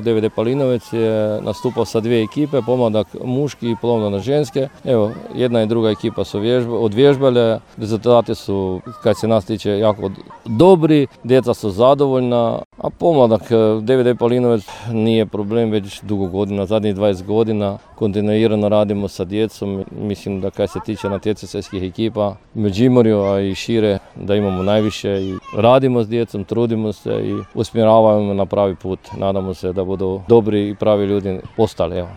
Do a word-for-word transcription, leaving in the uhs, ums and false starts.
D V D Palinovec je nastupao sa dvije ekipe, pomladak muški i pomladak ženske. Evo, jedna i druga ekipa su odvježbale, rezultati su, kad se nas tiče, jako dobri, djeca su zadovoljna, a pomladak D V D Palinovec nije problem već dugo godina, zadnjih dvadeset godina. Kontinuirano radimo sa djecom, mislim da kad se tiče natjecateljskih ekipa u Međimurju, a i šire, da imamo najviše i radimo s djecom, trudimo se i usmjeravamo na pravi put. Nadamo se da budu dobri i pravi ljudi postali. Evo.